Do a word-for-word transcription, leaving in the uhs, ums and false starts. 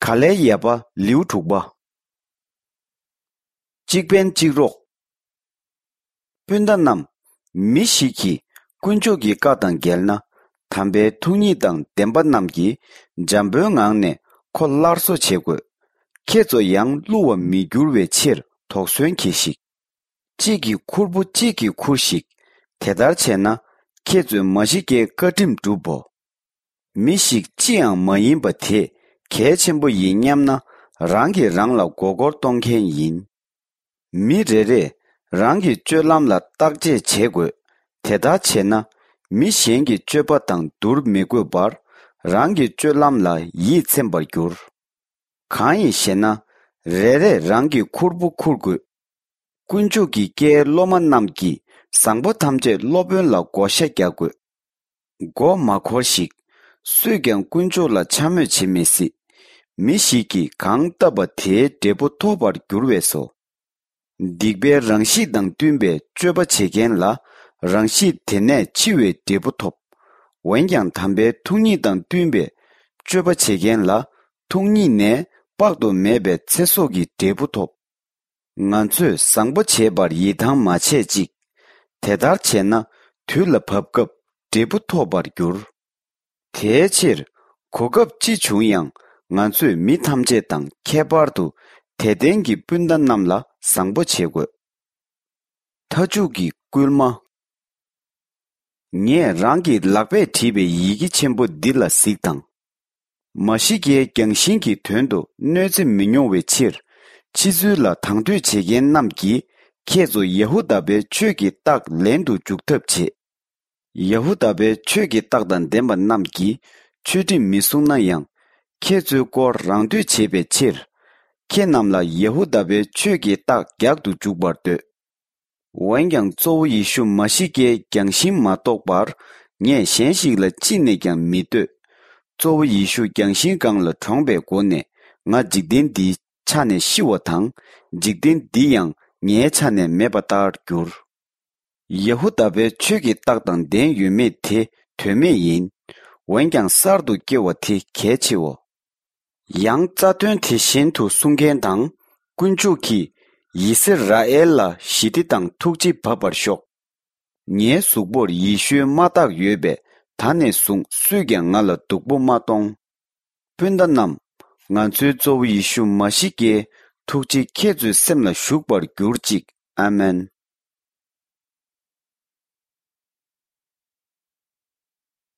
ག་ལའི་ཡ་པ་ལེའུ་དྲུག་པ། གཅིག་ཕན་གཅིག་རོགས། སྤུན་ཟླ་རྣམས། མི་ཞིག་གིས་དཀོན་མཆོག་གི་བཀའ་དང་འགལ་ན། དམ་པའི་ཐུགས་ཉིད་དང་ལྡན་པ་རྣམས་ཀྱིས་འཇམ་པོའི་ངང་ནས་ཁོ་སླར་གསོ་བྱེད་དགོས། ཁྱེད་ཚོ་ཡང་བསླུ་བར་མི་འགྱུར་བའི་ཕྱིར་དོགས་ཟོན་གྱིས་ཤིག། གཅིག་གི་ཁུར་པོ་གཅིག་གིས་ཁུར་ཞིག། དེ་ལྟར་བྱས་ན། ཁྱེད་ཚོས་མ་ཤི་ཀའི་བཀའ་ཁྲིམས་བསྒྲུབ་བོ། མི་ཞིག་ཅི་ཡང་མ་ཡིན་པ་དེ་གལ་ཆེན་པོ་ཡིན་སྙམ་ན། རང་གིས་རང་ལ་མགོ་སྐོར་གཏོང་མཁན་ཡིན། མི་རེ་རེས་རང་གི་སྤྱོད་ལམ་ལ་བརྟག་དཔྱད་བྱེད་དགོས། དེ་ལྟར་བྱས་ན། མི་གཞན་གྱི་སྤྱོད་པ་དང་བསྡུར་མི་དགོས་པར། རང་གི་སྤྱོད་ལམ་ལ་ཡིད་ཚིམ་པར་འགྱུར། གང་ཡིན་ཞེ་ན། རེ་རེས་རང་གི་ཁུར་པོ་འཁུར་དགོས། དཀོན་མཆོག་གི་བཀའི་སློབ་མ་རྣམས་ཀྱིས་བཟང་པོ་ཐམས་ཅད་སློབ་དཔོན་ལ་བགོ་བཤའ་རྒྱག་དགོས། མགོ་མ་འཁོར་ཞིག། སུས་ཀྱང་དཀོན་མཆོག་ལ་འཕྱ་སྨོད་བྱེད་མི་སྲིད། མི་ཞིག་གིས་གང་བཏབ་པ་དེའི་འབྲས་བུ་ཐོབ་པར་འགྱུར་བས་སོ། སྡིག་པའི་རང་གཤིས་དང་བསྟུན་པའི་སྤྱོད་པ་བྱེད་མཁན་ལ། རང་གཤིས་དེ་ནས་འཆི་བའི་འབྲས་བུ་ཐོབ། འོན་ཀྱང་དམ་པའི་ཐུགས་ཉིད་དང་བསྟུན་པའི་སྤྱོད་པ་བྱེད་མཁན་ལ། ཐུགས་ཉིད་ནས་དཔག་ཏུ་མེད་པའི་ཚེ་སྲོག་གི་འབྲས་བུ་ཐོབ། ང་ཚོས་བཟང་པོ་བྱེད་པར་ཡིད་ཐང་མ་ཆད་ཅིག། དེ་ལྟར་བྱས་ན། དུས་ལ་བབ་སྐབས་འབྲས་བུ་ཐོབ་པར་འགྱུར། དེའི་ཕྱིར། གོ་སྐབས་ཅི་བྱུང་ཡང་། ང་ཚོས་མི་ཐམས་ཅད་དང་ཁྱད་པར་དུ། དད་ལྡན་གྱི་སྤུན་ཟླ་རྣམས་ལ་བཟང་པོ་བྱེད་དགོས། མཐའ་མཇུག་གི་སྐུལ་མ། ངས་རང་གི་ལག་པས་བྲིས་པའི་ཡི་གེ་ཆེན་པོ་འདི་ལ་གཟིགས་དང་། མ་ཤི་ཀའི་རྒྱང་ཤིང་གི་དོན་དུ་གནོད་འཚེ་མི་མྱོང་བའི་ཕྱིར། ཕྱི་ཚུལ་ལ་དང་དོད་བྱེད་མཁན་རྣམས་ཀྱིས། ཁྱེད་ཚོ་ཡ་ཧུ་དཱ་པའི་ཆོས་ཀྱི་རྟགས་ལེན་དུ་འཇུག་ཐབས་བྱེད། ཡ་ཧུ་དཱ་པའི་ཆོས་ཀྱི་རྟགས་དང་ལྡན་པ་རྣམས་ཀྱིས་ཆོས་ཁྲིམས་མི་སྲུང་ན་ཡང་། ཁྱེད་ཚོའི་སྐོར་རང་འདོད་བྱེད་པའི་ཕྱིར། ཁྱེད་རྣམས་ལ་ཡ་ཧུ་དཱ་པའི་ཆོས་ཀྱི་རྟགས་རྒྱག་ཏུ་འཇུག་པར་འདོད། འོན་ཀྱང་གཙོ་བོ་ཡེ་ཤུ་མ་ཤི་ཀའི་རྒྱང་ཤིང་མ་རྟོགས་པར། ངས་གཞན་ཞིག་ལ་ཅི་ནས་ཀྱང་མི་ལྟོས། གཙོ་བོ་ཡེ་ཤུ་རྒྱང་ཤིང་སྒང་ལ་གྲོངས་པའི་སྒོ་ནས། ང་འཇིག་རྟེན་འདིའི་ཆ་ནས་ཤི་བ་དང་། འཇིག་རྟེན་འདི་ཡང་ངའི་ཆ་ནས་མེད་པ་ལྟར་འགྱུར། ཡ་ཧུ་དཱ་པའི་ཆོས་ཀྱི་རྟགས་དང་ལྡན་ཡོད་མེད་དེ་དོན་མེད་ཡིན། འོན་ཀྱང་གསར་དུ་སྐྱེ་བ་དེ་གལ་ཆེའོ། ཡང་རྩ་དོན་དེ་བཞིན་དུ་གསུང་མཁན་དང་། དཀོན་མཆོག་གིས་ཡི་སི་ར་ཨེལ་ལ་ཞི་བདེ་དང་ཐུགས་རྗེ་བབས་པར་ཤོག། ངའི་གཟུགས་པོར་ཡེ་ཤུའི་མ་རྟགས་ཡོད་པས། ད་ནས་བཟུང་སུས་ཀྱང་ང་ལ་སྡུག་པོ་མ་གཏོང་། སྤུན་ཟླ་རྣམས། ང་ཚོའི་གཙོ་བོ་ཡེ་ཤུ་མ་ཤི་ཀའི་ཐུགས་རྗེ་ཁྱེད་ཚོའི་སེམས་ལ་ཞུགས་པར་གྱུར་ཅིག། ཨ་མེན།